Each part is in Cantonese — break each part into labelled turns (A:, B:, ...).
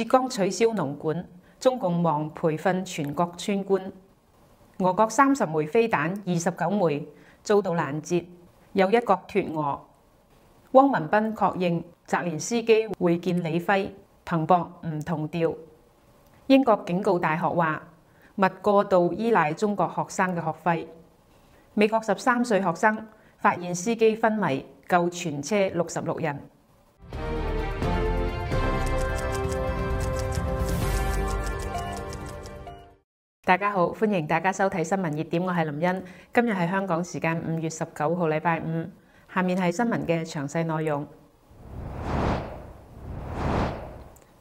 A: 浙江取消農管，中共忙培訓全國村官。俄國30枚飛彈29枚遭到攔截，有一國脫俄。汪文斌確認澤連斯基會見李輝，彭博唔同調。英國警告大學話，勿過度依賴中國學生嘅學費。美國13歲學生發現司機昏迷，救全車66人。大家好，歡迎大家收睇新聞熱點，我係林茵。今日係香港時間5月19號，禮拜五。下面係新聞嘅詳細內容。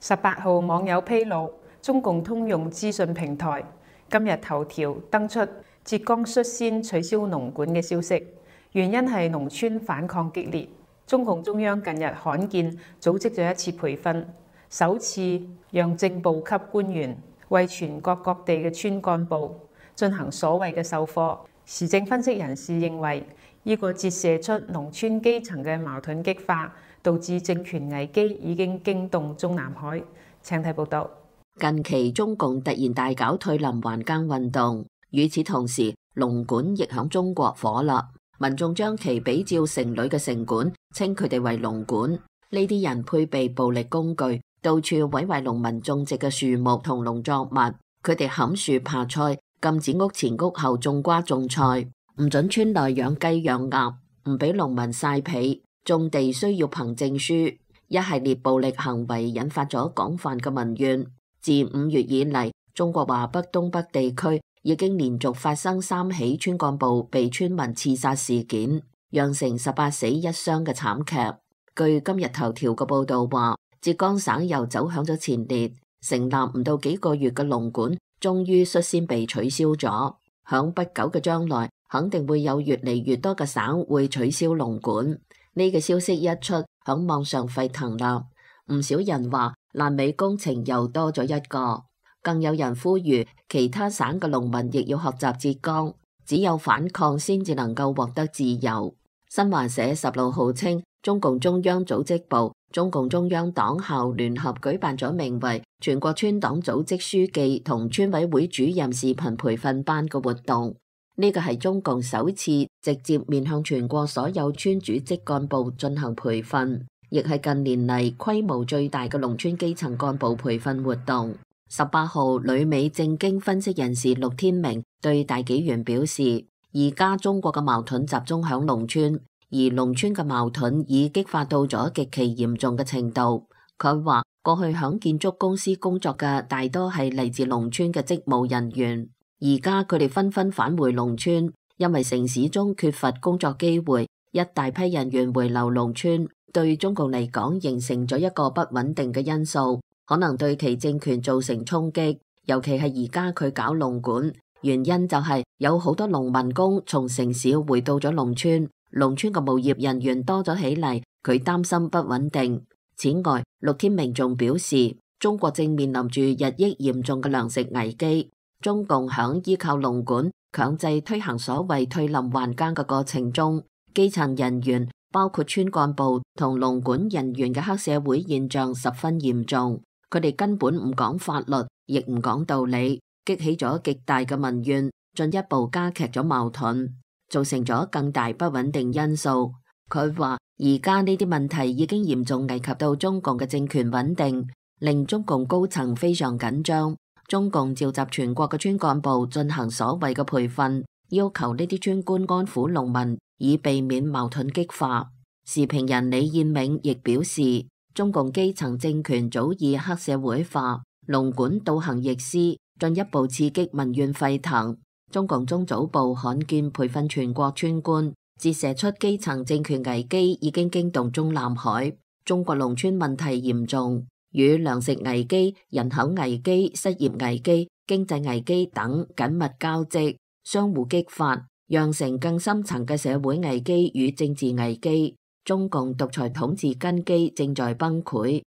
A: 18號網友披露，中共通用資訊平台今日頭條登出浙江率先取消農管嘅消息，原因係農村反抗激烈。中共中央近日罕見組織咗一次培訓，首次讓正部級官員為全國各地嘅村幹部進行所謂嘅授課。時政分析人士認為，呢個折射出農村基層嘅矛盾激化，導致政權危機已經驚動中南海。請睇報道。
B: 近期中共突然大搞退林還耕運動，與此同時，農管亦響中國火啦。民眾將其比照城裏嘅城管，稱佢哋為農管。呢啲人配備暴力工具，到處毀壞農民種植嘅樹木同農作物。佢哋砍樹扒菜，禁止屋前屋後種瓜種菜，唔准村內養雞養鴨，唔俾農民曬被，種地需要憑證書。一系列暴力行為引發咗廣泛嘅民怨。自5月以嚟，中國華北、東北地區已經連續發生3起村幹部被村民刺殺事件，釀成18死1傷嘅慘劇。據今日頭條嘅報道話，浙江省又走響咗前列，成立唔到幾個月嘅農管終於率先被取消咗。響不久嘅將來，肯定會有越嚟越多嘅省會取消農管。呢個消息一出，響網上沸騰啦。唔少人話爛尾工程又多咗一個，更有人呼籲其他省嘅農民亦要學習浙江，只有反抗先至能夠獲得自由。新華社16號稱，中共中央組織部、中共中央黨校聯合舉辦咗名為全國村黨組織書記同村委會主任視頻培訓班嘅活動。呢個係中共首次直接面向全國所有村主職幹部進行培訓，亦係近年嚟規模最大嘅農村基層幹部培訓活動。18號，旅美政經分析人士陸天明對大紀元表示，而家中國嘅矛盾集中響農村，而農村嘅矛盾已激化到咗極其嚴重嘅程度。佢話過去響建築公司工作嘅大多係嚟自農村嘅職務人員，而家佢哋紛紛返回農村，因為城市中缺乏工作機會，一大批人員回流農村，對中共嚟講形成咗一個不穩定嘅因素，可能對其政權造成衝擊。尤其係而家佢搞農管，原因就係有好多農民工從城市回到咗農村，農村嘅無業人員多咗起嚟，佢擔心不穩定。此外，陸天明仲表示，中國正面臨住日益嚴重嘅糧食危機，中共響依靠農管強制推行所謂退林還耕嘅過程中，基層人員包括村幹部同農管人員嘅黑社會現象十分嚴重，佢哋根本唔講法律，亦唔講道理，激起咗極大嘅民怨，進一步加劇咗矛盾，造成咗更大不穩定因素。佢話而家呢啲問題已經嚴重危及到中共嘅政權穩定，令中共高層非常緊張。中共召集全國嘅村幹部進行所謂嘅培訓，要求呢啲村官安撫農民，以避免矛盾激化。時評人李燕銘亦表示，中共基層政權早已黑社會化，農管倒行逆施，進一步刺激民怨沸騰。中共中組部罕見培訓全國村官，折射出基層政權危機已經驚動中南海。中國農村問題嚴重，與糧食危機、人口危機、失業危機、經濟危機等緊密交織，相互激發，釀成更深層嘅社會危機與政治危機。中共獨裁統治根基正在崩潰。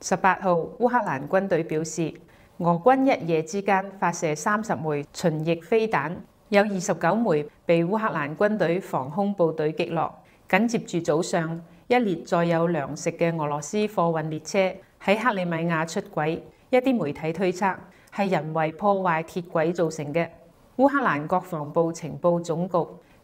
A: 18號，烏克蘭軍隊表示，俄軍一夜之間發射30枚巡弋飛彈，有29枚被烏克蘭軍隊防空部隊擊落。緊接住早上，一列載有糧食嘅俄羅斯貨運列車喺克里米亞出軌，一啲媒體推測係人為破壞鐵軌造成嘅。烏克蘭國防部情報總局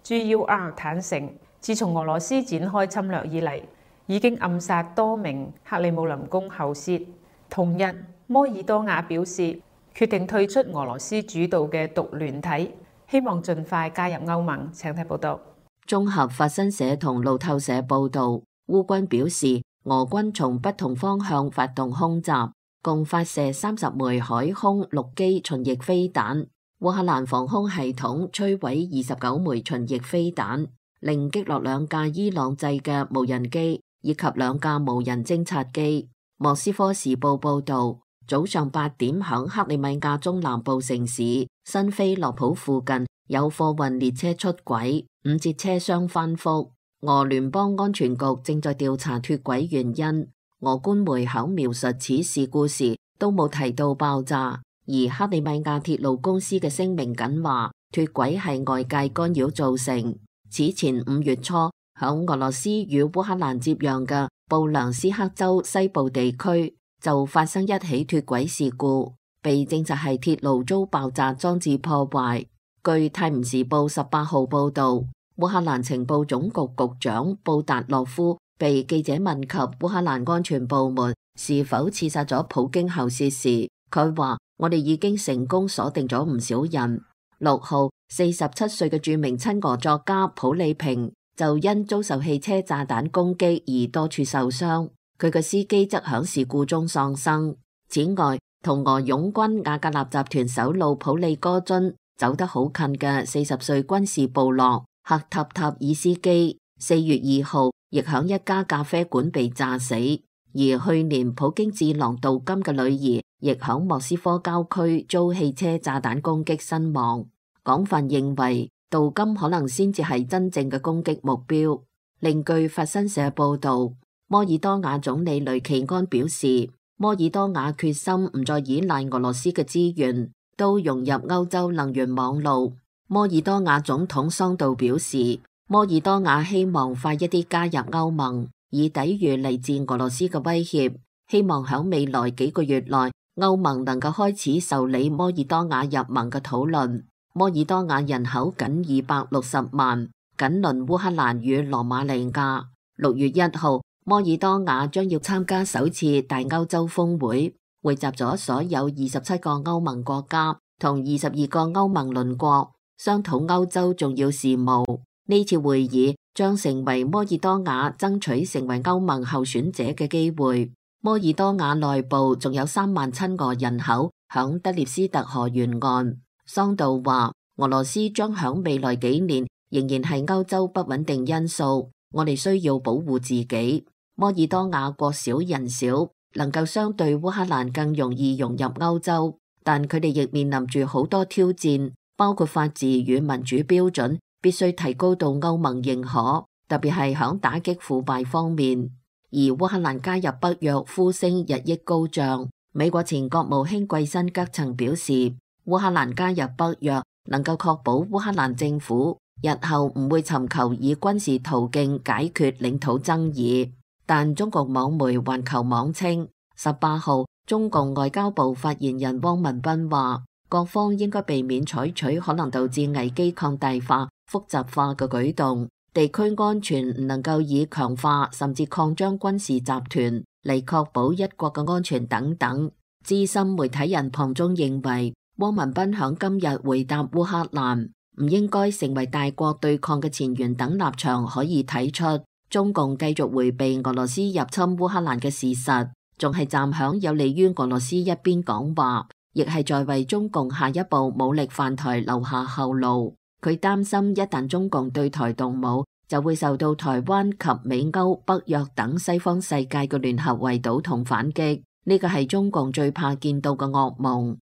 A: GUR 坦承，自從俄羅斯展開侵略以嚟，已經暗殺多名克里姆林宮後舌。同日，摩爾多瓦表示決定退出俄羅斯主導嘅獨聯體，希望盡快加入歐盟。請睇報道。
B: 綜合法新社同路透社報導，烏軍表示俄軍從不同方向發動空襲，共發射30枚海空陸基巡弋飛彈。烏克蘭防空系統摧毀29枚巡弋飛彈，另擊落2架伊朗製嘅無人機以及2架無人偵察機。莫斯科時報報導，早上8點響克里米亞中南部城市新菲洛普附近有貨運列車出軌，5節車廂翻覆。俄聯邦安全局正在調查脫軌原因。俄官媒喺描述此事故時都冇提到爆炸，而克里米亞鐵路公司嘅聲明緊話脫軌係外界干擾造成。此前5月初，響俄羅斯與烏克蘭接壤嘅布良斯克州西部地區就發生一起脫軌事故，被證實係鐵路遭爆炸裝置破壞。據泰晤士報18號報導，烏克蘭情報總局局長布達洛夫被記者問及烏克蘭安全部門是否刺殺咗普京後事時，佢話：我哋已經成功鎖定咗唔少人。6號，47歲嘅著名親俄作家普利平就因遭受汽車炸彈攻擊而多處受傷，佢嘅司機則響事故中喪生。此外，同俄擁軍瓦格納集團首腦普利戈津走得好近嘅40歲軍事部落赫塔塔爾斯基4月2號亦響一家咖啡館被炸死，而去年普京智囊杜金嘅女兒亦響莫斯科郊區遭汽車炸彈攻擊身亡。廣泛認為杜金可能先至係真正嘅攻擊目標。另據法新社報導，摩爾多瓦總理雷奇安表示，摩爾多瓦決心唔再依賴俄羅斯嘅資源，都融入歐洲能源網路。摩爾多瓦總統桑杜表示，摩爾多瓦希望快一啲加入歐盟，以抵禦嚟自俄羅斯嘅威脅。希望喺未來幾個月內，歐盟能夠開始受理摩爾多瓦入盟嘅討論。摩爾多瓦人口僅260萬，緊鄰烏克蘭與羅馬尼亞。6月1號，摩爾多瓦將要參加首次大歐洲峰會，匯集咗所有27個歐盟國家同22個歐盟鄰國，商討歐洲重要事務。呢次會議將成為摩爾多瓦爭取成為歐盟候選者嘅機會。摩爾多瓦內部仲有3萬親俄人口響德涅斯特河沿岸。桑杜話，俄羅斯將響未來幾年仍然係歐洲不穩定因素，我哋需要保護自己。摩爾多瓦國小人少，能夠相對烏克蘭更容易融入歐洲，但佢哋亦面臨住好多挑戰，包括法治與民主標準必須提高到歐盟認可，特別係響打擊腐敗方面。而烏克蘭加入北約呼聲日益高漲，美國前國務卿季辛格曾表示，烏克蘭加入北約能夠確保烏克蘭政府日後唔會尋求以軍事途徑解決領土爭議。但中國網媒環球網稱，18號中共外交部發言人汪文斌話，各方應該避免採取可能導致危機擴大化、複雜化嘅舉動，地區安全唔能夠以強化甚至擴張軍事集團嚟確保一國嘅安全等等。資深媒體人龐中認為，汪文斌響今日回答烏克蘭唔應該成為大國對抗嘅前沿等立場，可以睇出中共繼續迴避俄羅斯入侵烏克蘭嘅事實，仲係站響有利於俄羅斯一邊講話，亦係在為中共下一步武力犯台留下後路。佢擔心一旦中共對台動武，就會受到台灣及美歐北約等西方世界嘅聯合圍堵同反擊，呢個係中共最怕見到嘅噩夢。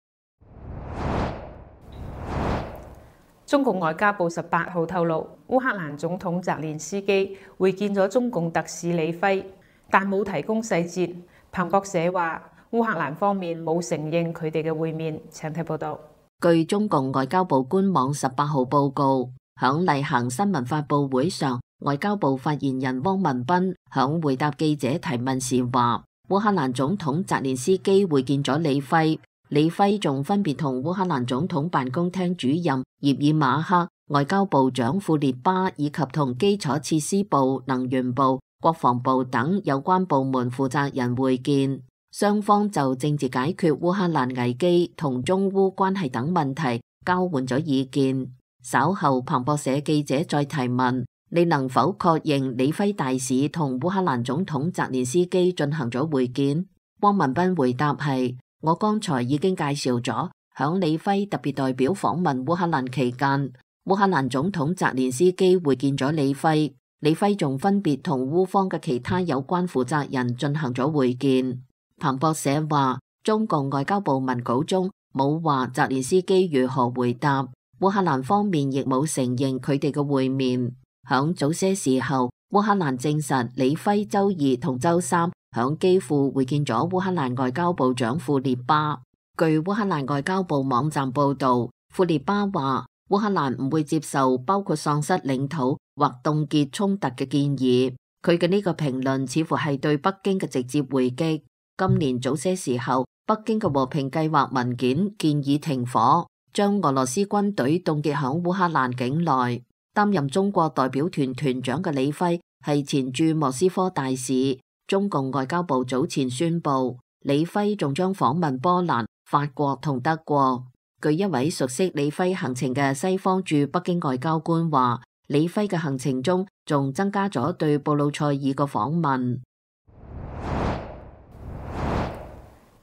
A: 中共外交部18號透露，烏克蘭總統澤連斯基會見咗中共特使李輝，但冇提供細節。彭博社話，烏克蘭方面冇承認佢哋嘅會面。請睇報道。
B: 據中共外交部官網18號報告，響例行新聞發佈會上，外交部發言人汪文斌響回答記者提問時話，烏克蘭總統澤連斯基會見咗李輝，李輝仲分別同烏克蘭總統辦公廳主任葉爾馬克、外交部長庫列巴以及同基礎設施部、能源部、國防部等有關部門負責人會見，雙方就政治解決烏克蘭危機同中烏關係等問題交換咗意見。稍後彭博社記者再提問，你能否確認李輝大使同烏克蘭總統澤連斯基進行咗會見？汪文斌回答係，我剛才已經介紹咗，響李輝特別代表訪問烏克蘭期間，烏克蘭總統澤連斯基會見咗李輝，李輝仲分別同烏方嘅其他有關負責人進行咗會見。彭博社話，中共外交部文稿中冇話澤連斯基如何回答，烏克蘭方面亦冇承認佢哋嘅會面。響早些時候，烏克蘭證實李輝周二同周三響基輔會見咗烏克蘭外交部長庫列巴。據烏克蘭外交部網站報道，庫列巴話烏克蘭唔會接受包括喪失領土或凍結衝突嘅建議。佢嘅呢個評論似乎係對北京嘅直接回擊。今年早些時候，北京嘅和平計劃文件建議停火，將俄羅斯軍隊凍結響烏克蘭境內。擔任中國代表團團長嘅李輝係前駐莫斯科大使。中共外交部早前宣布，李輝仲將訪問波蘭、法國同德國。據一位熟悉李輝行程嘅西方駐北京外交官話，李輝嘅行程中仲增加咗對布魯塞爾嘅訪問。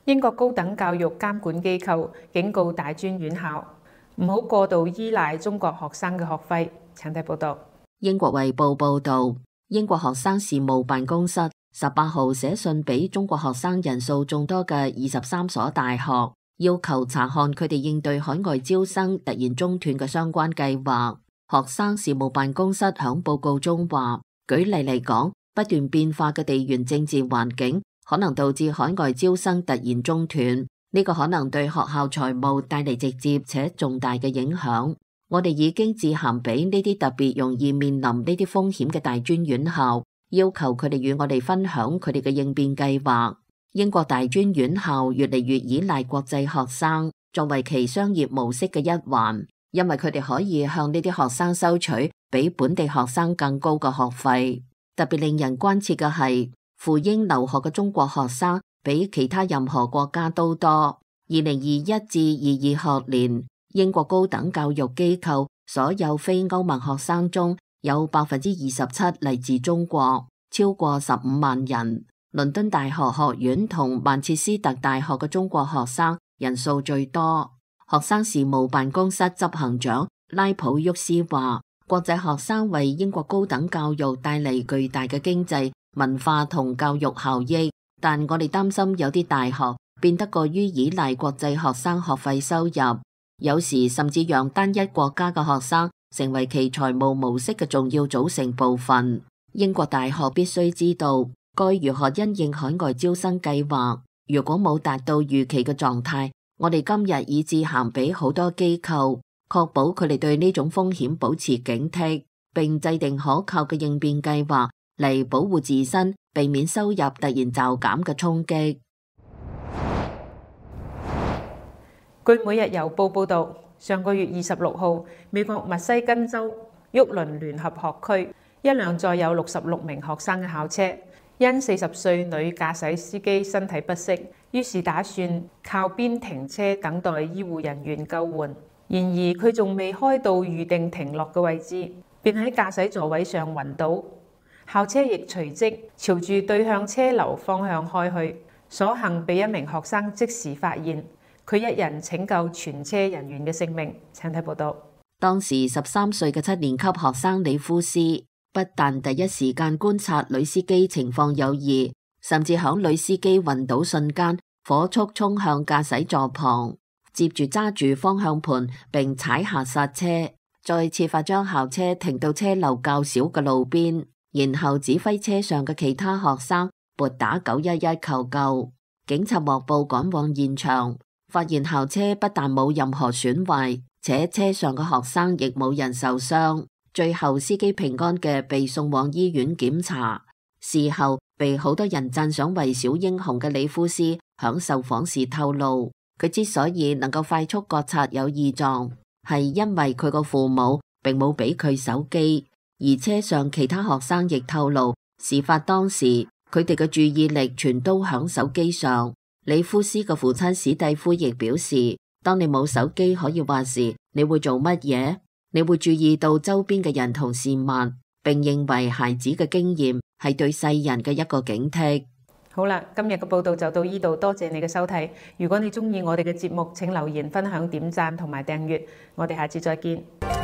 A: 英國高等教育監管機構警告大專院校唔好過度依賴中國學生嘅學費。請睇報道。
B: 英國衛報報道，英國學生事務辦公室18號寫信俾中國學生人數眾多嘅23所大學，要求查看佢哋應對海外招生突然中斷嘅相關計劃。學生事務辦公室響報告中話，舉例嚟講，不斷變化嘅地緣政治環境可能導致海外招生突然中斷，呢個可能對學校財務帶嚟直接且重大嘅影響。我哋已經致函俾呢啲特別容易面臨呢啲風險嘅大專院校，要求佢哋與我哋分享佢哋嘅應變計劃。英國大專院校越嚟越依賴國際學生作為其商業模式嘅一環，因為佢哋可以向呢啲學生收取比本地學生更高嘅學費。特別令人關切嘅係，赴英留學嘅中國學生比其他任何國家都多。2021至22學年，英國高等教育機構所有非歐盟學生中有27%嚟自中國，超過15萬人。倫敦大學學院同曼徹斯特大學嘅中國學生人數最多。學生事務辦公室執行長拉普沃斯話，國際學生為英國高等教育帶嚟巨大嘅經濟、文化同教育效益，但我哋擔心有啲大學變得過於依賴國際學生學費收入，有時甚至讓單一國家嘅學生成為其財務模式嘅重要組成部分。英國大學必須知道該如何因應海外招生計劃。如果冇達到預期嘅狀態，我哋今日已致函俾好多機構，確保佢哋對呢種風險保持警惕，並制定可靠嘅應變計劃嚟保護自身，避免收入突然驟減嘅衝擊。
A: 據每日郵報報導，上個月26號，美國密西根州沃倫聯合學區一輛載有66名學生嘅校車，因40歲女駕駛司機身體不適，於是打算靠邊停車等待醫護人員救援。然而佢仲未開到預定停落嘅位置，便喺駕駛座位上暈倒。校車亦隨即朝住對向車流方向開去，所幸被一名學生即時發現，佢一人拯救全車人員嘅性命。請睇報道。
B: 當時13歲嘅7年級學生李夫斯不但第一時間觀察女司機情況有異，甚至響女司機暈倒瞬間火速衝向駕駛座旁，接住揸住方向盤並踩下剎車，再設法將校車停到車流較少嘅路邊，然後指揮車上嘅其他學生撥打911求救。警察獲報趕往現場，發現校車不但冇任何損壞，且車上嘅學生亦冇人受傷。最後司機平安嘅被送往醫院檢查。事後被好多人讚賞為小英雄嘅里夫斯響受訪時透露，佢之所以能夠快速覺察有異狀，係因為佢個父母並冇俾佢手機。而車上其他學生亦透露，事發當時佢哋嘅注意力全都響手機上。里夫斯嘅父親史蒂夫亦表示，當你冇手機可以話時，你會做乜嘢？你會注意到周邊嘅人同事物，並認為孩子嘅經驗係對世人嘅一個警惕。
A: 好啦，今日嘅報道就到呢度，多謝你嘅收睇。如果你鍾意我哋嘅節目，請留言、分享、點讚同埋訂閱。我哋下次再見。